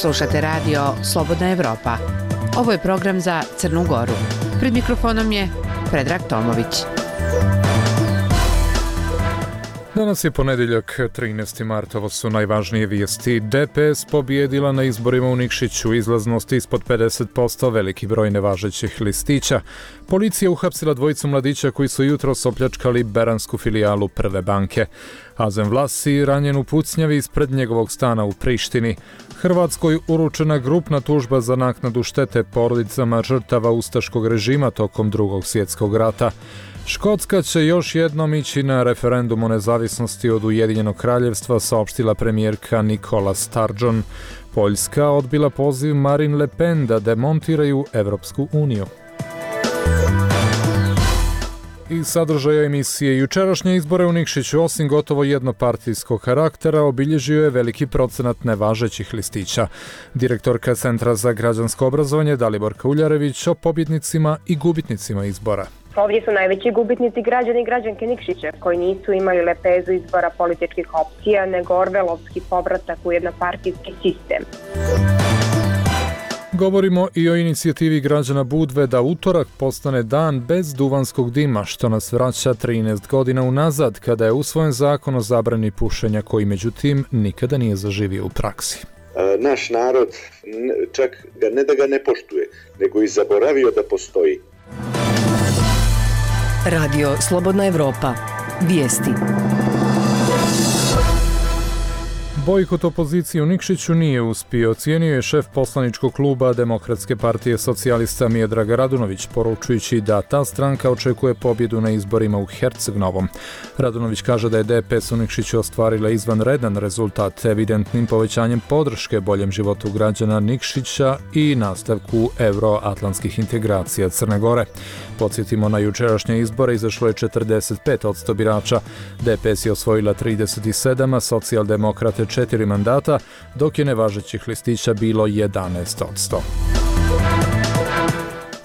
Slušate radio Slobodna Evropa. Ovo je program za Crnu Goru. Pred mikrofonom je Predrag Tomović. Danas je ponedjeljak, 13. mart, ovo su najvažnije vijesti. DPS pobijedila na izborima u Nikšiću, izlaznost ispod 50%, veliki broj nevažećih listića. Policija uhapsila dvojicu mladića koji su jutros opljačkali beransku filijalu Prve banke. Azem Vlasi ranjen u pucnjavi ispred njegovog stana u Prištini. Hrvatskoj uručena grupna tužba za naknadu štete porodicama žrtava ustaškog režima tokom Drugog svjetskog rata. Škotska će još jednom ići na referendum o nezavisnosti od Ujedinjenog kraljevstva, saopštila premijerka Nicola Sturgeon. Poljska odbila poziv Marine Le Pen da demontiraju Evropsku uniju. Iz sadržaja emisije, jučerašnje izbore u Nikšiću, osim gotovo jednopartijskog karaktera, obilježio je veliki procenat nevažećih listića. Direktorka Centra za građansko obrazovanje Daliborka Uljarević o pobjednicima i gubitnicima izbora. Ovdje su najveći gubitnici građani i građanke Nikšića, koji nisu imali lepezu izbora političkih opcija, nego orvelovski povratak u jednopartijski sistem. Govorimo i o inicijativi građana Budve da utorak postane dan bez duvanskog dima, što nas vraća 13 godina unazad, kada je usvojen zakon o zabrani pušenja, koji međutim nikada nije zaživio u praksi. Naš narod čak ne da ga ne poštuje, nego i zaboravio da postoji. Radio Slobodna Evropa. Vijesti. Bojkot opozicije u Nikšiću nije uspio, ocijenio je šef poslaničkog kluba Demokratske partije socijalista Miodrag Radunović, poručujući da ta stranka očekuje pobjedu na izborima u Herceg-Novom. Radunović kaže da je DPS u Nikšiću ostvarila izvanredan rezultat, evidentnim povećanjem podrške boljem životu građana Nikšića i nastavku euroatlantskih integracija Crne Gore. Podsjetimo, na jučerašnje izbore izašlo je 45% birača. DPS je osvojila 37, a socijaldemokrate 4 mandata, dok je nevažećih listića bilo 11%.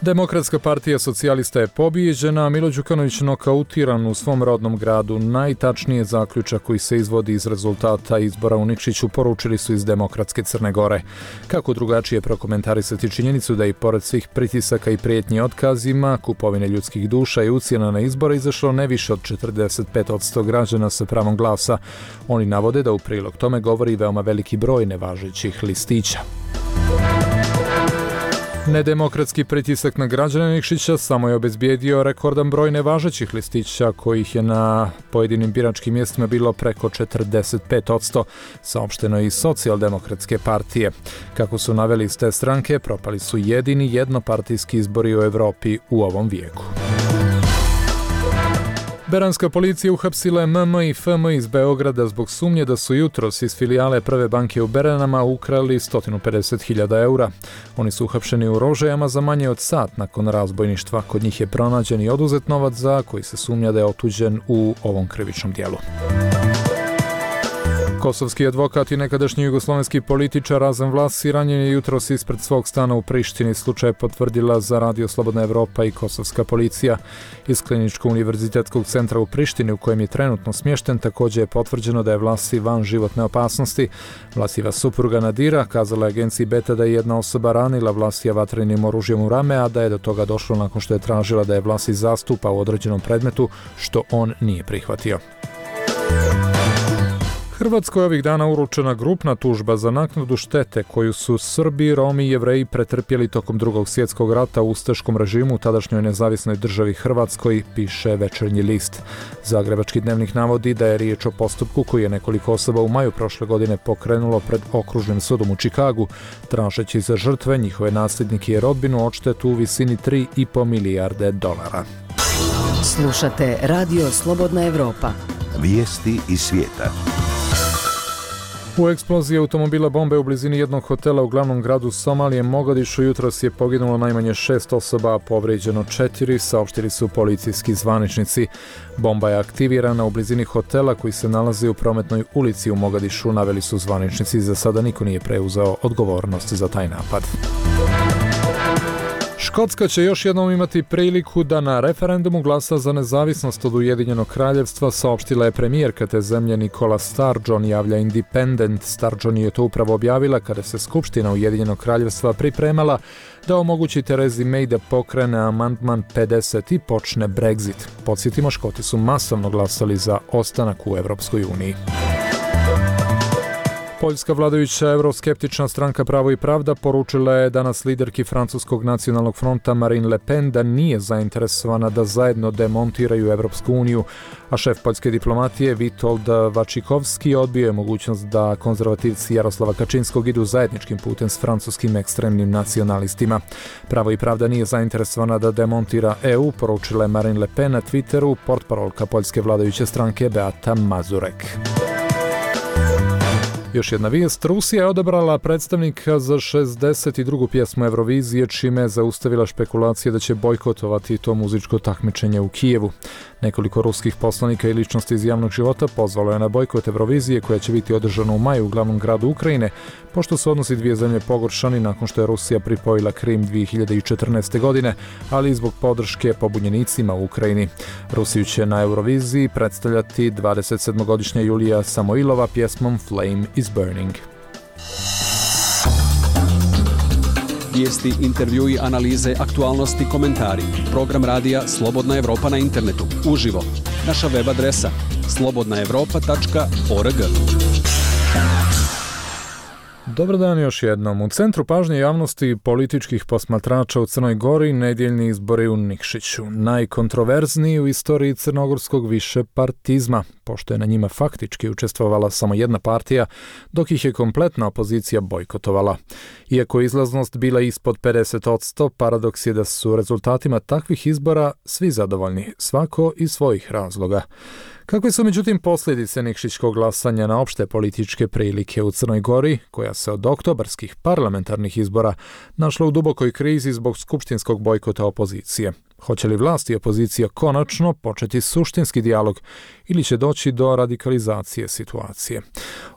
Demokratska partija socijalista je pobijeđena, a Milo Đukanović nokautiran u svom rodnom gradu. Najtačnije zaključak koji se izvodi iz rezultata izbora u Nikšiću poručili su iz Demokratske Crne Gore. Kako drugačije prokomentarisati činjenicu da i pored svih pritisaka i prijetnji otkazima, kupovine ljudskih duša i ucjena na izbore izašlo ne više od 45% građana sa pravom glasa. Oni navode da u prilog tome govori veoma veliki broj nevažećih listića. Nedemokratski pritisak na građane Nikšića samo je obezbijedio rekordan broj nevažećih listića, kojih je na pojedinim biračkim mjestima bilo preko 45%, saopšteno je iz socijaldemokratske partije. Kako su naveli iz te stranke, propali su jedini jednopartijski izbori u Evropi u ovom vijeku. Beranska policija uhapsila je MM i FM iz Beograda zbog sumnje da su jutros iz filijale Prve banke u Beranama ukrali 150.000 eura. Oni su uhapšeni u Rožajama za manje od sat nakon razbojništva. Kod njih je pronađen i oduzet novac za koji se sumnja da je otuđen u ovom krivičnom dijelu. Kosovski advokat i nekadašnji jugoslovenski političar Azem Vlasi ranjen je jutros ispred svog stana u Prištini. Slučaj je potvrdila za Radio Slobodna Evropa i kosovska policija. Iz Kliničko-univerzitetskog centra u Prištini, u kojem je trenutno smješten, također je potvrđeno da je Vlasi van životne opasnosti. Vlasijeva supruga Nadira kazala je agenciji Beta da je jedna osoba ranila Vlasija vatrenim oružjem u rame, a da je do toga došlo nakon što je tražila da je Vlasi zastupa u određenom predmetu, što on nije prihvatio. Hrvatskoj ovih dana uručena grupna tužba za naknadu štete koju su Srbi, Romi i Jevreji pretrpjeli tokom Drugog svjetskog rata u ustaškom režimu u tadašnjoj nezavisnoj državi Hrvatskoj, piše Večernji list. Zagrebački dnevnik navodi da je riječ o postupku koji je nekoliko osoba u maju prošle godine pokrenulo pred okružnim sudom u Čikagu, tražeći za žrtve, njihove nasljednike i rodbinu odštetu u visini 3,5 milijarde dolara. Slušate Radio Slobodna Evropa. Vijesti iz svijeta. U eksploziji automobila bombe u blizini jednog hotela u glavnom gradu Somalije Mogadišu jutros je poginulo najmanje 6 osoba, a povrijeđeno 4, saopštili su policijski zvaničnici. Bomba je aktivirana u blizini hotela koji se nalazi u prometnoj ulici u Mogadišu, naveli su zvaničnici. Za sada niko nije preuzeo odgovornost za taj napad. Škotska će još jednom imati priliku da na referendumu glasa za nezavisnost od Ujedinjenog kraljevstva, saopštila je premijerka te zemlje Nicola Sturgeon, javlja Independent. Sturgeon je to upravo objavila kada se Skupština Ujedinjenog kraljevstva pripremala da omogući Terezi May da pokrene amandman 50 i počne Brexit. Podsjetimo, Škoti su masovno glasali za ostanak u Evropskoj uniji. Poljska vladajuća euroskeptična stranka Pravo i pravda poručila je danas liderki Francuskog nacionalnog fronta Marine Le Pen da nije zainteresovana da zajedno demontiraju Evropsku uniju, a šef poljske diplomatije Witold Wachikowski odbio je mogućnost da konzervativci Jaroslava Kačinskog idu zajedničkim putem s francuskim ekstremnim nacionalistima. Pravo i pravda nije zainteresovana da demontira EU, poručila je Marine Le Pen na Twitteru portparolka poljske vladajuće stranke Beata Mazurek. Još jedna vijest, Rusija je odabrala predstavnika za 62. pjesmu Eurovizije, čime je zaustavila špekulacije da će bojkotovati to muzičko takmičenje u Kijevu. Nekoliko ruskih poslanika i ličnosti iz javnog života pozvalo je na bojkot Eurovizije koja će biti održana u maju u glavnom gradu Ukrajine, pošto su odnosi dvije zemlje pogoršani nakon što je Rusija pripojila Krim 2014. godine, ali i zbog podrške pobunjenicima u Ukrajini. Rusiju će na Euroviziji predstavljati 27-godišnja Julija Samoilova pjesmom Flame is Burning. Vijesti, intervjui, analize, aktualnosti, komentari. Program radija Slobodna Evropa na internetu. Uživo. Naša web adresa slobodnaevropa.org. Dobar dan još jednom. U centru pažnje javnosti i političkih posmatrača u Crnoj Gori nedjeljni izbori u Nikšiću. Najkontroverzniji u istoriji crnogorskog višepartizma, pošto je na njima faktički učestvovala samo jedna partija, dok ih je kompletna opozicija bojkotovala. Iako je izlaznost bila ispod 50%, paradoks je da su rezultatima takvih izbora svi zadovoljni, svako iz svojih razloga. Kakve su međutim posljedice nikšićkog glasanja na opšte političke prilike u Crnoj Gori, koja se od oktobarskih parlamentarnih izbora našla u dubokoj krizi zbog skupštinskog bojkota opozicije? Hoće li vlast i opozicija konačno početi suštinski dijalog ili će doći do radikalizacije situacije?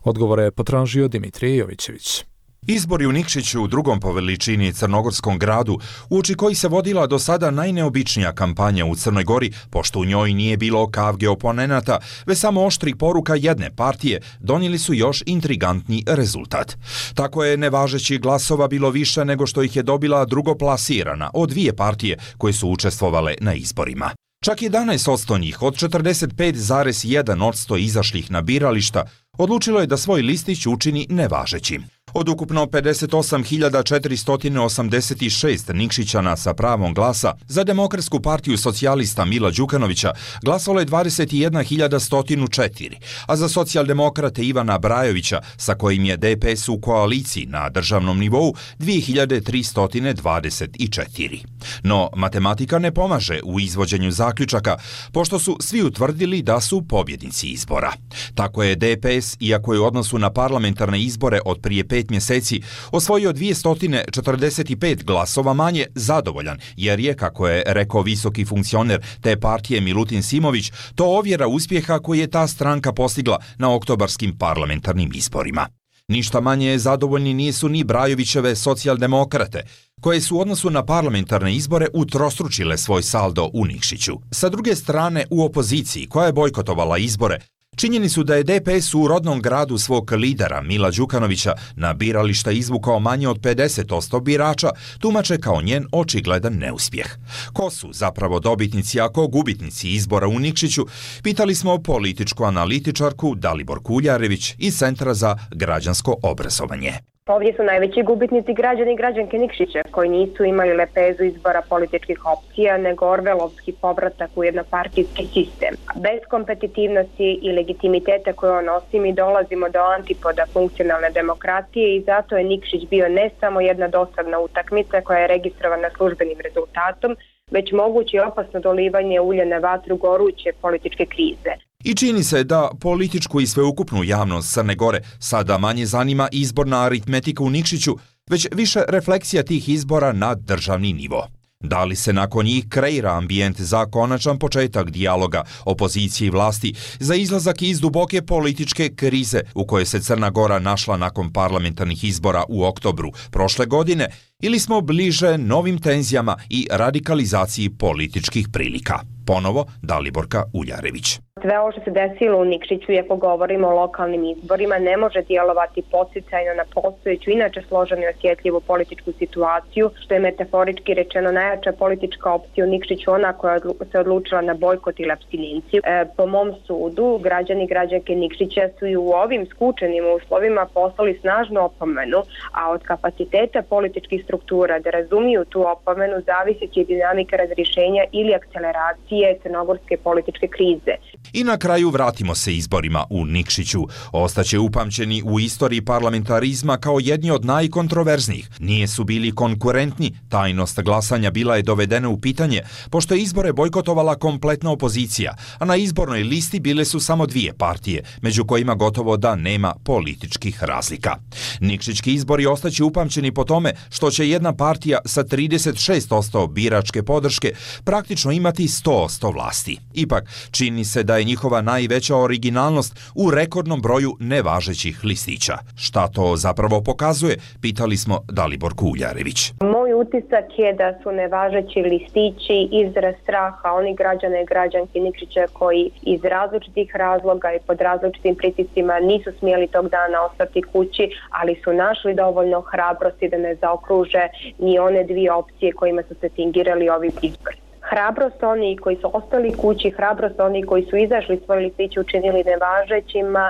Odgovore je potražio Dimitrije Jovićević. Izbori u Nikšiću, drugom po veličini crnogorskom gradu, uoči koji se vodila do sada najneobičnija kampanja u Crnoj Gori, pošto u njoj nije bilo kavge oponenata, već samo oštrih poruka jedne partije, donijeli su još intrigantni rezultat. Tako je nevažećih glasova bilo više nego što ih je dobila drugoplasirana od dvije partije koje su učestvovale na izborima. Čak 11% njih od 45,1% izašlih na birališta odlučilo je da svoj listić učini nevažećim. Od ukupno 58.486 Nikšićana sa pravom glasa za Demokratsku partiju socijalista Mila Đukanovića glasalo je 21.104, a za socijaldemokrate Ivana Brajovića, sa kojim je DPS u koaliciji na državnom nivou, 2.324. No, matematika ne pomaže u izvođenju zaključaka, pošto su svi utvrdili da su pobjednici izbora. Tako je DPS, iako je u odnosu na parlamentarne izbore od prije 5 mjeseci osvojio 245 glasova manje, zadovoljan, jer je, kako je rekao visoki funkcioner te partije Milutin Simović, to ovjera uspjeha koji je ta stranka postigla na oktobarskim parlamentarnim izborima. Ništa manje zadovoljni nisu ni Brajovićeve socijaldemokrate, koje su u odnosu na parlamentarne izbore utrostručile svoj saldo u Nikšiću. Sa druge strane, u opoziciji, koja je bojkotovala izbore, činjeni su da je DPS u rodnom gradu svog lidera Mila Đukanovića na birališta izvukao manje od 50% birača, tumače kao njen očigledan neuspjeh. Ko su zapravo dobitnici, a ko gubitnici izbora u Nikšiću, pitali smo političku analitičarku Dalibor Kuljarević iz Centra za građansko obrazovanje. Ovdje su najveći gubitnici građani i građanke Nikšića, koji nisu imali lepezu izbora političkih opcija, nego orvelovski povratak u jednopartijski sistem. Bez kompetitivnosti i legitimiteta koje on nosi, mi dolazimo do antipoda funkcionalne demokratije i zato je Nikšić bio ne samo jedna dosadna utakmica koja je registrovana službenim rezultatom, već moguće opasno dolivanje ulja na vatru goruće političke krize. I čini se da političku i sveukupnu javnost Crne Gore sada manje zanima izborna aritmetika u Nikšiću, već više refleksija tih izbora na državni nivo. Da li se nakon njih kreira ambijent za konačan početak dijaloga opozicije i vlasti za izlazak iz duboke političke krize u kojoj se Crna Gora našla nakon parlamentarnih izbora u oktobru prošle godine, ili smo bliže novim tenzijama i radikalizaciji političkih prilika? Ponovo Daliborka Uljarević. Sve ovo što se desilo u Nikšiću, ako govorimo o lokalnim izborima, ne može djelovati podsticajno na postojeću, inače složenu i osjetljivu političku situaciju, što je metaforički rečeno najjača politička opcija u Nikšiću, ona koja se odlučila na bojkot ili apstinenciju. Po mom sudu, građani i građanke Nikšića su i u ovim skučenim uslovima poslali snažnu opomenu, a od kapaciteta političkih struktura da razumiju tu opomenu zavisi će dinamika razrješenja ili akceleracije crnogorske političke krize. I na kraju vratimo se izborima u Nikšiću. Ostaće upamćeni u istoriji parlamentarizma kao jedni od najkontroverznijih. Nije su bili konkurentni, tajnost glasanja bila je dovedena u pitanje, pošto je izbore bojkotovala kompletna opozicija, a na izbornoj listi bile su samo dvije partije, među kojima gotovo da nema političkih razlika. Nikšićki izbori ostaće upamćeni po tome što će jedna partija sa 36% biračke podrške praktično imati 100% vlasti. Ipak, čini se da je njihova najveća originalnost u rekordnom broju nevažećih listića. Šta to zapravo pokazuje? Pitali smo Daliborku Uljarević. Moj utisak je da su nevažeći listići izraz straha onih građana i građanki Nikšića koji iz različitih razloga i pod različitim pritiscima nisu smjeli tog dana ostati kući, ali su našli dovoljno hrabrosti da ne zaokruže ni one dvije opcije kojima su se fingirali ovi izbori. Hrabrost oni koji su ostali kući, hrabrost oni koji su izašli svoje listiće učinili nevažećima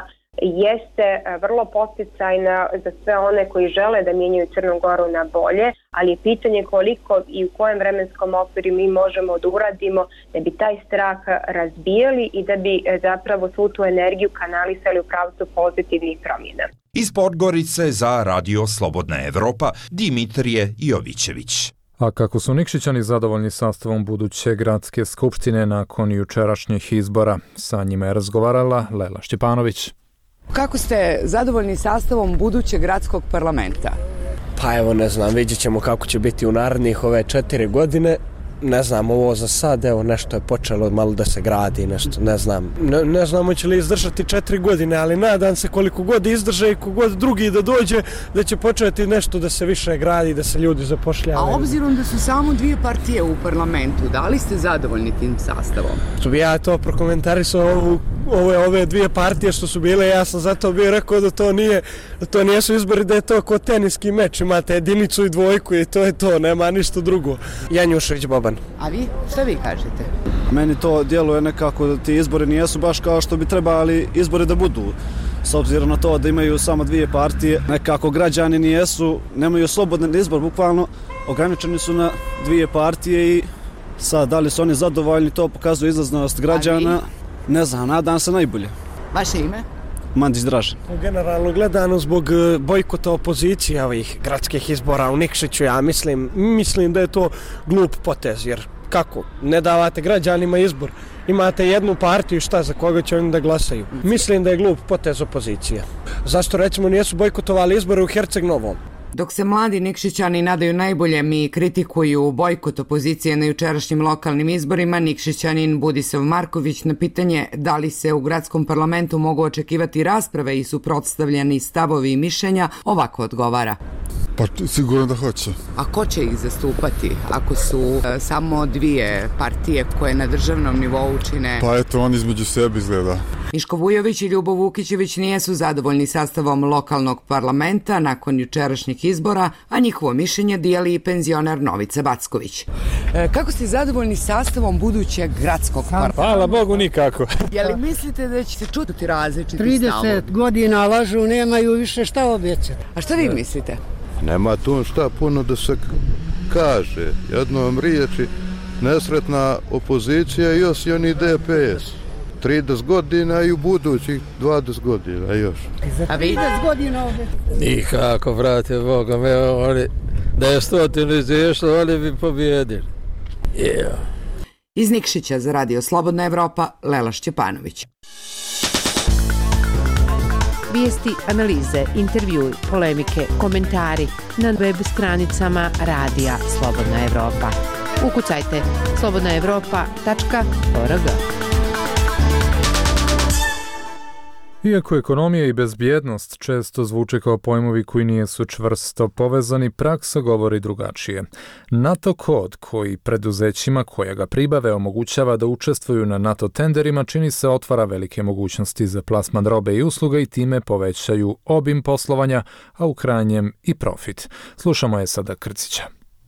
jeste vrlo podsticajna za sve one koji žele da mijenjaju Crnu Goru na bolje, ali je pitanje koliko i u kojem vremenskom okviru mi možemo da uradimo da bi taj strah razbijali i da bi zapravo svu tu energiju kanalisali u pravcu pozitivnih promjena. Iz Podgorice za Radio Slobodna Evropa, Dimitrije Jovićević. A kako su Nikšićani zadovoljni sastavom buduće gradske skupštine nakon jučerašnjih izbora? Sa njima je razgovarala Lela Šćepanović. Kako ste zadovoljni sastavom budućeg gradskog parlamenta? Pa evo ne znam, vidjet ćemo kako će biti u narednih ove 4 godine. Ne znam, ovo za sad, evo nešto je počelo malo da se gradi, nešto, ne znam. Ne znamo će li izdržati 4 godine, ali nadam se koliko god izdrže i kogod drugi da dođe, da će početi nešto da se više gradi, da se ljudi zapošljavaju. A obzirom da su samo dvije partije u parlamentu, da li ste zadovoljni tim sastavom? Što bi ja to prokomentarisao ove dvije partije što su bile, ja sam zato bio rekao da to nijesu izbori, da je to kao teniski meč, imate jedinicu i dvojku i to je to, nema ništa drugo. Janjušević Boban. A vi? Šta vi kažete? Meni to djeluje nekako da ti izbori nijesu baš kao što bi trebali izbori da budu. S obzirom na to da imaju samo dvije partije, nekako građani nemaju slobodan izbor, bukvalno ograničeni su na dvije partije i sad da li su oni zadovoljni, to pokazuje izlaznost građana. Ne znam, nadam se najbolje. Vaše ime? Mandić Dražen. Generalno gledano zbog bojkota opozicije ovih gradskih izbora u Nikšiću, ja mislim da je to glup potez, jer kako? Ne davate građanima izbor. Imate jednu partiju, šta, za koga će oni da glasaju? Mislim da je glup potez opozicije. Zašto recimo nijesu bojkotovali izbore u Herceg Novom? Dok se mladi Nikšićani nadaju najboljem i kritikuju bojkot opozicije na jučerašnjim lokalnim izborima, Nikšićanin Budisav Marković na pitanje da li se u gradskom parlamentu mogu očekivati rasprave i suprotstavljeni stavovi i mišljenja, ovako odgovara. Pa sigurno da hoće. A ko će ih zastupati ako su samo dvije partije koje na državnom nivou čine? Pa eto, on između sebe izgleda. Miško Vujović i Ljubo Vukićević nijesu zadovoljni sastavom lokalnog parlamenta nakon jučerašnjih izbora, a njihovo mišljenje dijeli i penzioner Novica Backović. Kako ste zadovoljni sastavom budućeg gradskog parlamenta? Hvala Bogu nikako. Je li mislite da će se čuti različiti stavovi? 30 godina lažu, nemaju više šta obećati. A šta vi mislite? Nema tu šta puno da se kaže. Jednom riječi, nesretna opozicija i još i oni DPS. 30 godina i u budućih 20 godina još. A vi? 30 godina obećati. Nikako, brate, Boga me, da je 100 izašlo, oni bi pobjedili. Iz Nikšića za Radio Slobodna Evropa, Lela Šćepanović. Vijesti, analize, intervjui, polemike, komentari na web stranicama Radija Slobodna Evropa. Ukucajte slobodnaevropa.org. Iako ekonomija i bezbjednost često zvuče kao pojmovi koji nisu čvrsto povezani, praksa govori drugačije. NATO kod koji preduzećima koja ga pribave omogućava da učestvuju na NATO tenderima čini se otvara velike mogućnosti za plasman robe i usluga i time povećaju obim poslovanja, a u krajnjem i profit. Slušamo je sada Krcića.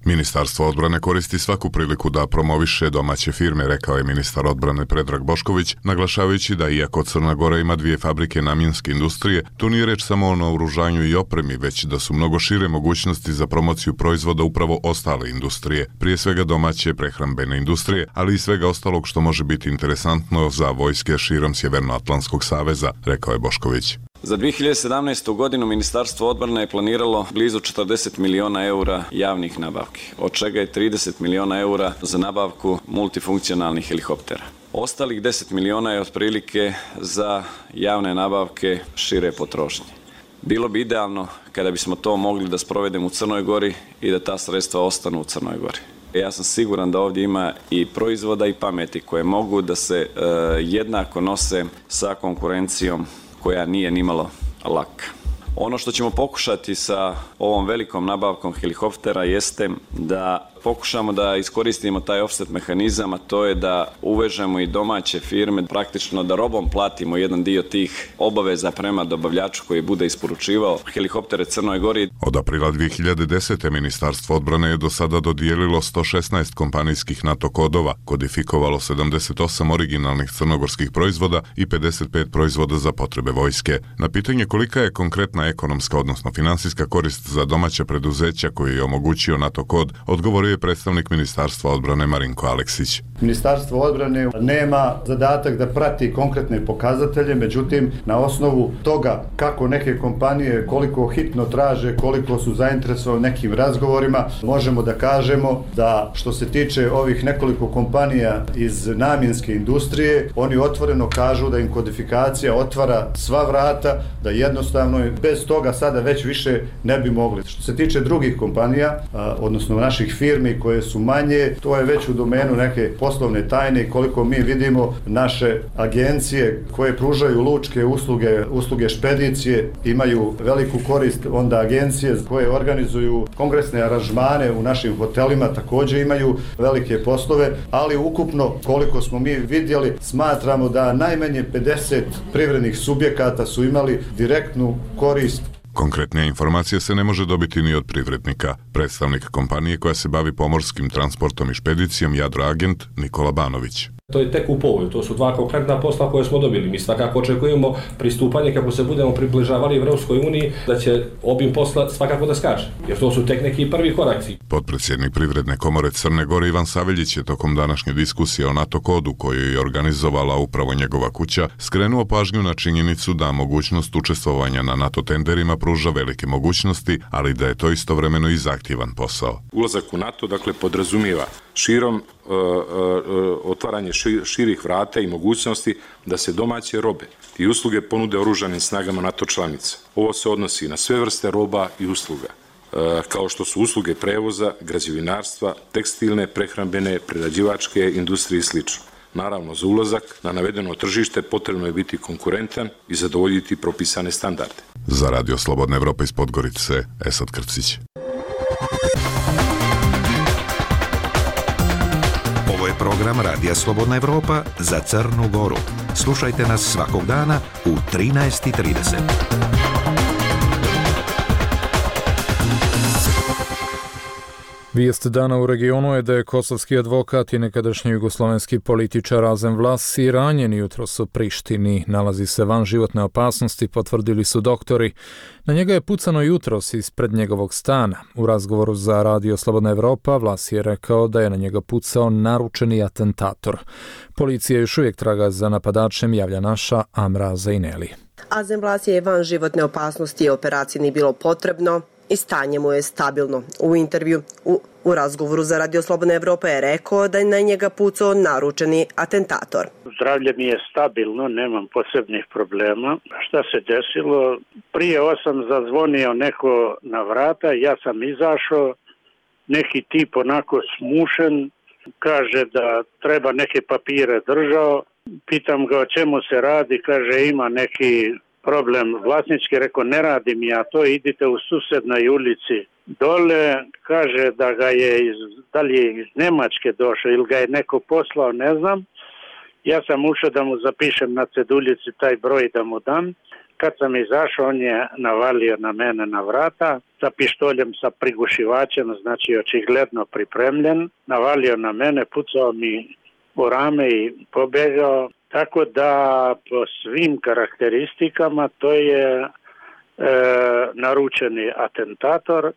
Ministarstvo odbrane koristi svaku priliku da promoviše domaće firme, rekao je ministar odbrane Predrag Bošković, naglašavajući da iako Crna Gora ima 2 fabrike namjenske industrije, tu nije reč samo o naoružanju i opremi, već da su mnogo šire mogućnosti za promociju proizvoda upravo ostale industrije, prije svega domaće prehrambene industrije, ali i svega ostalog što može biti interesantno za vojske širom Sjevernoatlantskog saveza, rekao je Bošković. Za 2017. godinu Ministarstvo odbrane je planiralo blizu 40 miliona eura javnih nabavki, od čega je 30 miliona eura za nabavku multifunkcionalnih helikoptera. Ostalih 10 miliona je otprilike za javne nabavke šire potrošnje. Bilo bi idealno kada bismo to mogli da sprovedemo u Crnoj Gori i da ta sredstva ostanu u Crnoj Gori. Ja sam siguran da ovdje ima i proizvoda i pameti koje mogu da se jednako nose sa konkurencijom koja nije nimalo laka. Ono što ćemo pokušati sa ovom velikom nabavkom helikoptera jeste da pokušamo da iskoristimo taj offset mehanizam, a to je da uvežemo i domaće firme, praktično da robom platimo jedan dio tih obaveza prema dobavljaču koji bude isporučivao helikoptere Crnoj Gori. Od aprila 2010. Ministarstvo odbrane je do sada dodijelilo 116 kompanijskih NATO kodova, kodifikovalo 78 originalnih crnogorskih proizvoda i 55 proizvoda za potrebe vojske. Na pitanje kolika je konkretna ekonomska, odnosno finansijska korist za domaća preduzeća koji je omogućio NATO kod, odgovorio je predstavnik Ministarstva odbrane Marinko Aleksić. Ministarstvo odbrane nema zadatak da prati konkretne pokazatelje, međutim, na osnovu toga kako neke kompanije, koliko hitno traže, koliko su zainteresovani nekim razgovorima, možemo da kažemo da što se tiče ovih nekoliko kompanija iz namjenske industrije, oni otvoreno kažu da im kodifikacija otvara sva vrata, da jednostavno bez toga sada već više ne bi mogli. Što se tiče drugih kompanija, odnosno naših firmi koje su manje, to je već u domenu neke poslovne tajne. Koliko mi vidimo, naše agencije koje pružaju lučke usluge špedicije imaju veliku korist, onda agencije koje organizuju kongresne aranžmane u našim hotelima također imaju velike poslove, ali ukupno koliko smo mi vidjeli, smatramo da najmanje 50 privrednih subjekata su imali direktnu korist. Konkretnija informacija se ne može dobiti ni od privrednika. Predstavnik kompanije koja se bavi pomorskim transportom i špedicijom Jadroagent Nikola Banović. To je tek u povoju, to su 2 konkretna posla koje smo dobili. Mi svakako očekujemo pristupanje kako se budemo približavali Evropskoj uniji, da će obim posla svakako da skače, jer to su tek neki prvi koraci. Potpredsjednik Privredne komore Crne Gore Ivan Saveljić je tokom današnje diskusije o NATO kodu koju je organizovala upravo njegova kuća skrenuo pažnju na činjenicu da mogućnost učestvovanja na NATO tenderima pruža velike mogućnosti, ali da je to istovremeno i zahtjevan posao. Ulazak u NATO podrazumijeva širom otvaranje širih vrata i mogućnosti da se domaće robe i usluge ponude oružanim snagama NATO članica. Ovo se odnosi na sve vrste roba i usluga, kao što su usluge prevoza, građevinarstva, tekstilne, prehrambene, prerađivačke industrije i sl. Naravno, za ulazak na navedeno tržište potrebno je biti konkurentan i zadovoljiti propisane standarde. Za Radio Slobodna Evropa iz Podgorice, Esad Krcić. Ovo je program Radija Slobodna Evropa za Crnu Goru. Slušajte nas svakog dana u 13:30. Vijest dana u regionu je da je kosovski advokat i nekadašnji jugoslovenski političar Azem Vlasi ranjen jutros u Prištini. Nalazi se van životne opasnosti, potvrdili su doktori. Na njega je pucano jutros ispred njegovog stana. U razgovoru za Radio Slobodna Evropa Vlasi je rekao da je na njega pucao naručeni atentator. Policija još uvijek traga za napadačem, javlja naša Amra Zaineli. Azem Vlasi je van životne opasnosti, operaciji nije bilo potrebno i stanje mu je stabilno. U intervju u razgovoru za Radio Slobodna Evropa je rekao da je na njega pucao naručeni atentator. Zdravlje mi je stabilno, nemam posebnih problema. Šta se desilo? Prije 8 zazvonio neko na vrata, ja sam izašao, neki tip onako smušen, kaže da treba neke papire držao. Pitam ga o čemu se radi, kaže ima neki problem vlasnički, rekao ne radim ja to, idite u susednoj ulici dole, kaže da ga je da li je iz Nemačke došao ili ga je neko poslao, ne znam. Ja sam ušao da mu zapišem na ceduljici taj broj da mu dam. Kad sam izašao, on je navalio na mene na vrata sa pištoljem, sa prigušivačem, znači očigledno pripremljen. Navalio na mene, pucao mi u rame i pobegao. Tako da po svim karakteristikama to je naručeni atentator.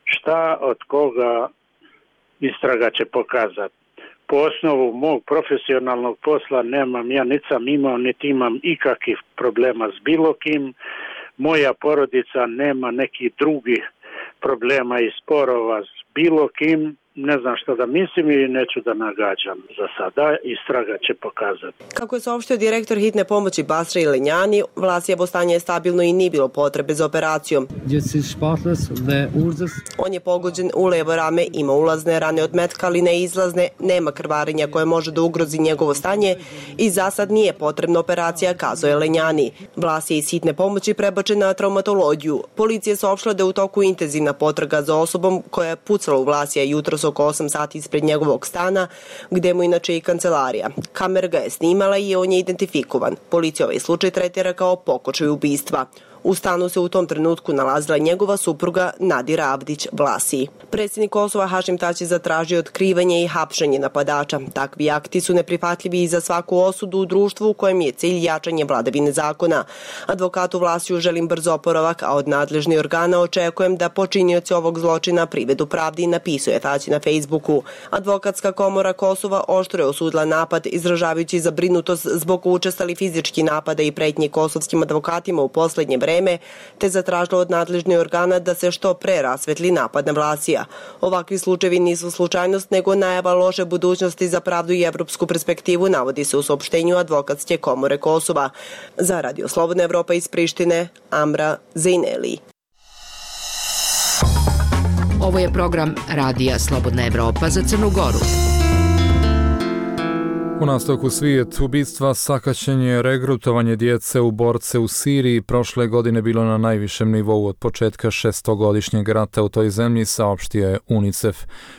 Šta od koga istraga će pokazati. Po osnovu mog profesionalnog posla nemam, ja niti sam imao, niti imam ikakvih problema s bilo kim. Moja porodica nema nekih drugih problema i sporova s bilo kim. Ne znam što da mislim i neću da nagađam za sada. Istraga će pokazati. Kako je saopštio direktor hitne pomoći Basra Ilenjani, Vlasijevo stanje je stabilno i nije bilo potrebe za operacijom. On je pogođen u levo rame, ima ulazne rane od metka, ali ne izlazne, nema krvarenja koje može da ugrozi njegovo stanje i za sad nije potrebna operacija, kazao je Lenjani. Vlas je iz hitne pomoći prebačen na traumatologiju. Policija je saopštila da je u toku intenzivna potraga za osobom koja je pucala u Vlasija jutros oko 8 sati ispred njegovog stana, gde mu inače i kancelarija. Kamera ga je snimala i on je identifikovan. Policija ovaj slučaj tretira kao pokušaj ubistva. U stanu se u tom trenutku nalazila njegova supruga Nadira Avdić Vlasi. Predsjednik Kosova Hašim Tači zatražio otkrivanje i hapšenje napadača. Takvi akti su neprihvatljivi i za svaku osudu u društvu u kojem je cilj jačanje vladavine zakona. Advokatu Vlasiju želim brzo oporavak, a od nadležnih organa očekujem da počinioci ovog zločina privedu pravdi, napisuje Tači na Facebooku. Advokatska komora Kosova oštro je osudila napad, izražavajući zabrinutost zbog učestali fizički napada i pretnji kosovskim advokatima u poslednje vreme, te zatražila od nadležnih organa da se što pre rasvetli napad na Vlasija. Ovakvi slučajevi nisu slučajnost, nego najava loše budućnosti za pravdu i evropsku perspektivu, navodi se u saopštenju Advokatske komore Kosova. Za Radio Slobodna Evropa iz Prištine, Amra Zejneli. Ovo je program Radija Slobodna Evropa za Crnu Goru. U nastavku svijet ubistva, sakaćenje, regrutovanje djece u borce u Siriji prošle godine bilo na najvišem nivou od početka 600-godišnjeg rata u toj zemlji, saopštio je UNICEF.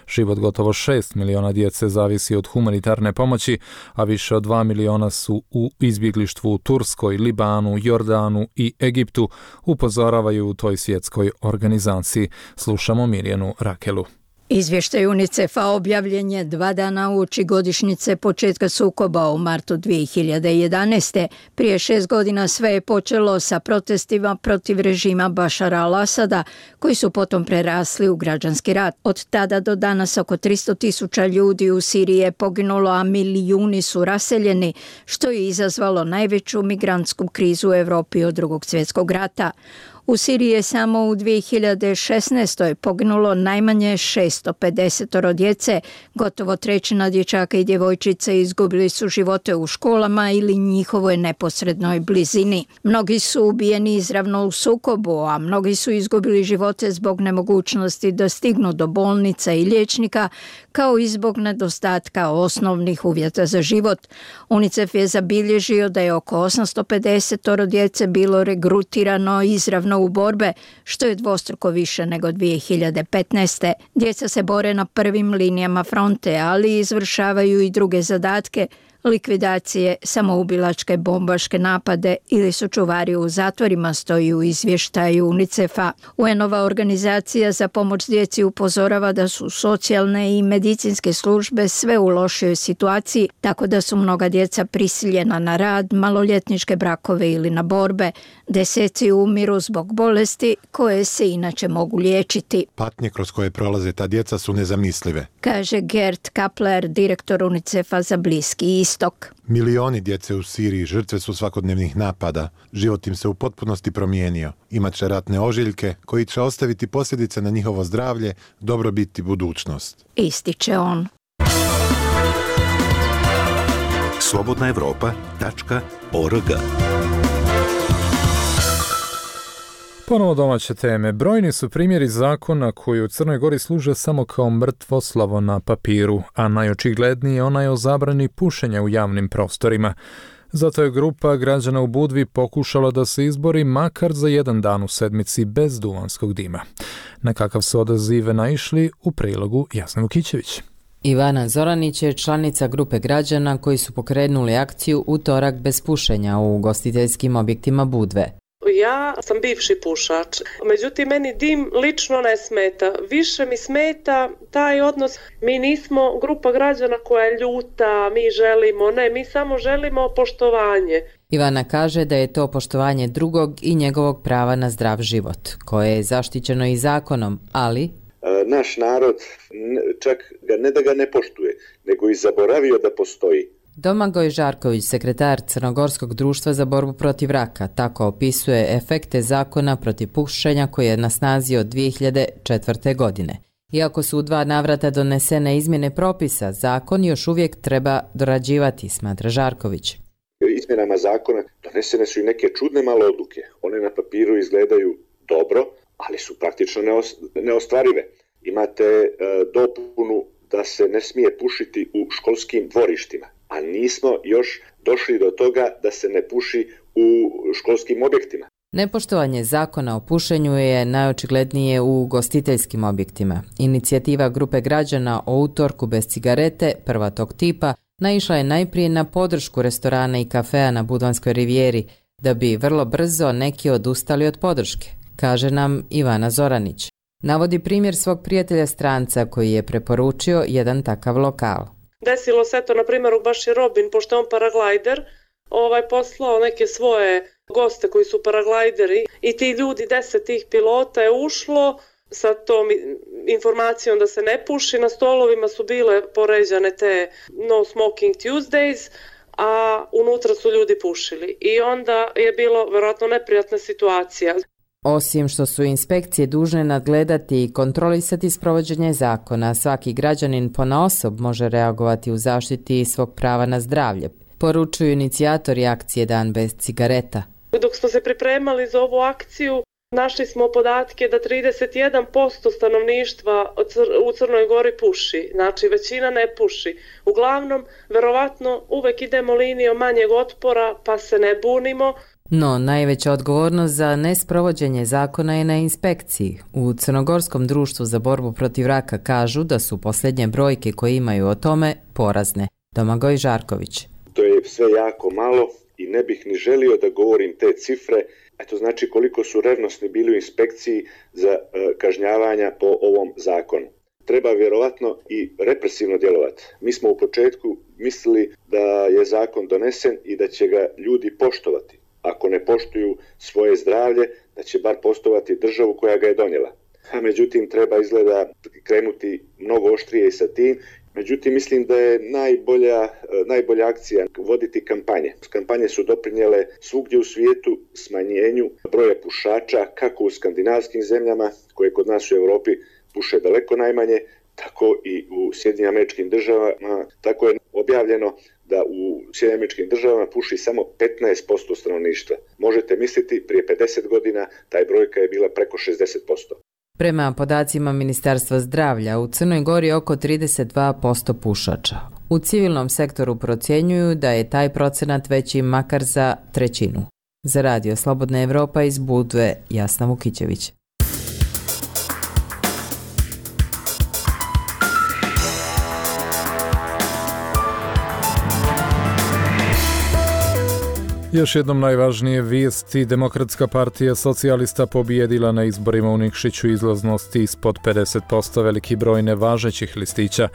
Život gotovo 6 miliona djece zavisi od humanitarne pomoći, a više od 2 miliona su u izbjeglištvu u Turskoj, Libanu, Jordanu i Egiptu, upozoravaju u toj svjetskoj organizaciji. Slušamo Mirjanu Rakelu. Izvještaj UNICEF-a objavljen je 2 dana uoči godišnjice početka sukoba u martu 2011. Prije 6 godina sve je počelo sa protestima protiv režima Bašara al-Asada, koji su potom prerasli u građanski rat. Od tada do danas oko 300.000 ljudi u Siriji je poginulo, a milijuni su raseljeni, što je izazvalo najveću migrantsku krizu u Evropi od Drugog svjetskog rata. U Siriji je samo u 2016. poginulo najmanje 650 djece, gotovo trećina dječaka i djevojčica izgubili su živote u školama ili njihovoj neposrednoj blizini. Mnogi su ubijeni izravno u sukobu, a mnogi su izgubili živote zbog nemogućnosti da stignu do bolnica i liječnika, kao i zbog nedostatka osnovnih uvjeta za život. UNICEF je zabilježio da je oko 850 djece bilo regrutirano izravno u borbe, što je dvostruko više nego 2015. Djeca se bore na prvim linijama fronte, ali izvršavaju i druge zadatke, likvidacije, samoubilačke bombaške napade ili su čuvari u zatvorima, stoji u izvještaju UNICEF-a. UN-ova organizacija za pomoć djeci upozorava da su socijalne i medicinske službe sve u lošoj situaciji, tako da su mnoga djeca prisiljena na rad, maloljetničke brakove ili na borbe. Deseci umiru zbog bolesti koje se inače mogu liječiti. Patnje kroz koje prolaze ta djeca su nezamislive, kaže Gert Kapler, direktor UNICEF-a za Bliski istok. Milioni djece u Siriji žrtve su svakodnevnih napada. Život im se u potpunosti promijenio. Imaće ratne ožiljke koji će ostaviti posljedice na njihovo zdravlje, dobrobit i budućnost, ističe on. slobodnaevropa.org Ponovo domaće teme. Brojni su primjeri zakona koji u Crnoj Gori služe samo kao mrtvo slovo na papiru, a najočigledniji je onaj o zabrani pušenja u javnim prostorima. Zato je grupa građana u Budvi pokušala da se izbori makar za jedan dan u sedmici bez duvanskog dima. Na kakav su odazive naišli u prilogu Jasna Vukićević. Ivana Zoranić je članica grupe građana koji su pokrenuli akciju Utorak bez pušenja u ugostiteljskim objektima Budve. Ja sam bivši pušač, međutim meni dim lično ne smeta. Više mi smeta taj odnos. Mi nismo grupa građana koja je ljuta, mi želimo, ne, mi samo želimo poštovanje. Ivana kaže da je to poštovanje drugog i njegovog prava na zdrav život, koje je zaštićeno i zakonom, ali naš narod čak ne da ga ne poštuje, nego i zaboravio da postoji. Domagoj Žarković, sekretar Crnogorskog društva za borbu protiv raka, tako opisuje efekte zakona protiv pušenja koji je na snazi od 2004. godine. Iako su u 2 navrata donesene izmjene propisa, zakon još uvijek treba dorađivati, smatra Žarković. Izmjenama zakona donesene su i neke čudne male odluke. One na papiru izgledaju dobro, ali su praktično neostvarive. Imate dopunu da se ne smije pušiti u školskim dvorištima, a nismo još došli do toga da se ne puši u školskim objektima. Nepoštovanje zakona o pušenju je najočiglednije u ugostiteljskim objektima. Inicijativa grupe građana o utorku bez cigarete, prva tog tipa, naišla je najprije na podršku restorana i kafea na Budvanskoj rivijeri, da bi vrlo brzo neki odustali od podrške, kaže nam Ivana Zoranić. Navodi primjer svog prijatelja stranca koji je preporučio jedan takav lokal. Desilo se to, na primjer, u Baši Robin, pošto je on paraglajder, poslao neke svoje goste koji su paraglajderi i ti ljudi, 10 tih pilota je ušlo sa tom informacijom da se ne puši. Na stolovima su bile poređane te No Smoking Tuesdays, a unutra su ljudi pušili. I onda je bilo vjerojatno neprijatna situacija. Osim što su inspekcije dužne nadgledati i kontrolisati sprovođenje zakona, svaki građanin ponaosob može reagovati u zaštiti svog prava na zdravlje, poručuju inicijatori akcije Dan bez cigareta. Dok smo se pripremali za ovu akciju, našli smo podatke da 31% stanovništva u Crnoj Gori puši, znači većina ne puši. Uglavnom, verovatno uvek idemo linijom manjeg otpora pa se ne bunimo. No, najveća odgovornost za nesprovođenje zakona je na inspekciji. U Crnogorskom društvu za borbu protiv raka kažu da su posljednje brojke koje imaju o tome porazne. Domagoj Žarković. To je sve jako malo i ne bih ni želio da govorim te cifre, a to znači koliko su revnosni bili u inspekciji za kažnjavanja po ovom zakonu. Treba vjerovatno i represivno djelovati. Mi smo u početku mislili da je zakon donesen i da će ga ljudi poštovati. Ako ne poštuju svoje zdravlje, da će bar poštovati državu koja ga je donijela. A međutim, treba izgleda krenuti mnogo oštrije i sa tim. Međutim, mislim da je najbolja akcija voditi kampanje. Kampanje su doprinijele svugdje u svijetu smanjenju broja pušača, kako u skandinavskim zemljama, koje kod nas u Europi puše daleko najmanje, tako i u Sjedinjenim Američkim Državama. Tako je objavljeno da u Sjedinjenim Američkim Državama puši samo 15% stanovništva. Možete misliti, prije 50 godina taj brojka je bila preko 60%. Prema podacima Ministarstva zdravlja, u Crnoj Gori oko 32% pušača. U civilnom sektoru procjenjuju da je taj procenat veći makar za 1/3. Za Radio Slobodna Evropa iz Budve, Jasna Vukićević. Još jednom najvažnije vijesti. Demokratska partija socijalista pobijedila na izborima u Nikšiću izlaznosti ispod 50%, veliki broj nevažećih listića.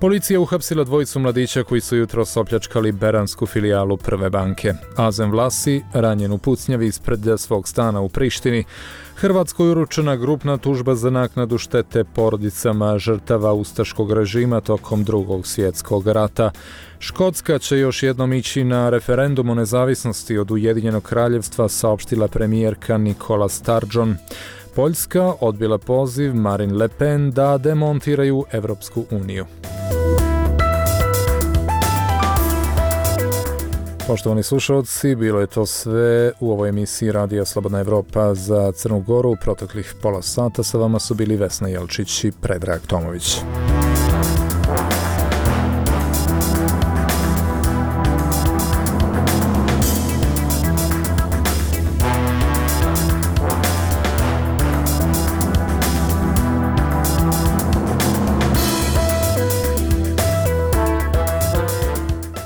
Policija uhapsila 2 mladića koji su jutros opljačkali beransku filijalu Prve banke. Azem Vlasi ranjen u pucnjavi ispred svog stana u Prištini. Hrvatskoj uručena grupna tužba za naknadu štete porodicama žrtava ustaškog režima tokom Drugog svjetskog rata. Škotska će još jednom ići na referendum o nezavisnosti od Ujedinjenog kraljevstva, saopštila premijerka Nicola Sturgeon. Poljska odbila poziv Marine Le Pen da demontiraju Evropsku uniju. Poštovani slušalci, bilo je to sve u ovoj emisiji Radija Slobodna Evropa za Crnu Goru. U proteklih pola sata sa vama su bili Vesna Jelčić i Predrag Tomović.